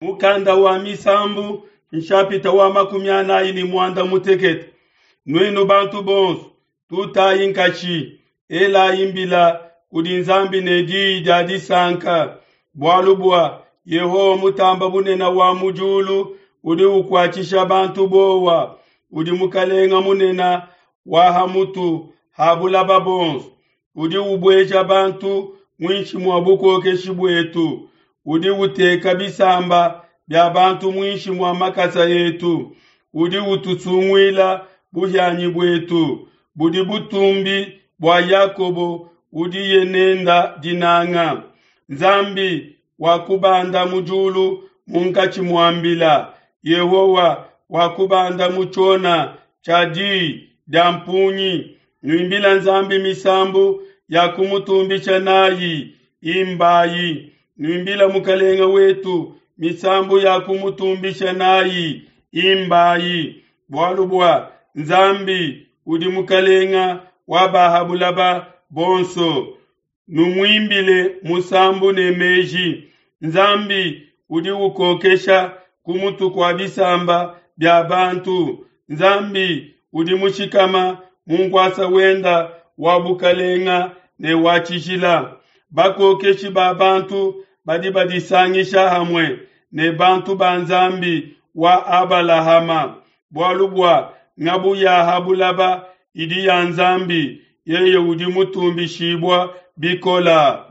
Mukanda wa Misambu nshapita wa 45. Nuenu bantu bonso, tutayi nkatshi, elayi mbila kudi Nzambi ne diyi dia disanka, bualu bua Yehowa Mutamba Bunene wa mu diulu udi ukuatshisha bantu bowa, udi Mukalenga munene wa ha mutu ha bulaba bonso, udi ubueja bantu muinshi mua bukokeshi buetu, udi uteka bisamba bia bantu muinshi mua makasa etu, udi utusunguila buhianyi buetu, budi butumbi bua Yakobo udiye nenda dinanga. Nzambi wakubanda mu diulu munkatshi mua mbila, Yehowa wakubanda mu tshiona tshia diyi dia mpungi. Nuimbila Nzambi misambu ya kumutumbisha nayi, imbayi. Nuimbila Mukalenga wetu misambu ya kumutumbisha nayi, imbayi. Bualu bua Nzambi udi Mukalenga wa ba ha bulaba bonso. Numuimbile musambu ne meji. Nzambi udi ukokesha ku mutu kua bisamba bia bantu. Nzambi udi mushikama mu nkuasa wenda wa bukalenga ne wa tshijila. Bakokeshi ba bantu badi badisangisha hamue ne bantu ba Nzambi wa Abalahama, bualu bua ngabu ya ha bulaba idi ya Nzambi, yeye udi mutumbishibua bikola.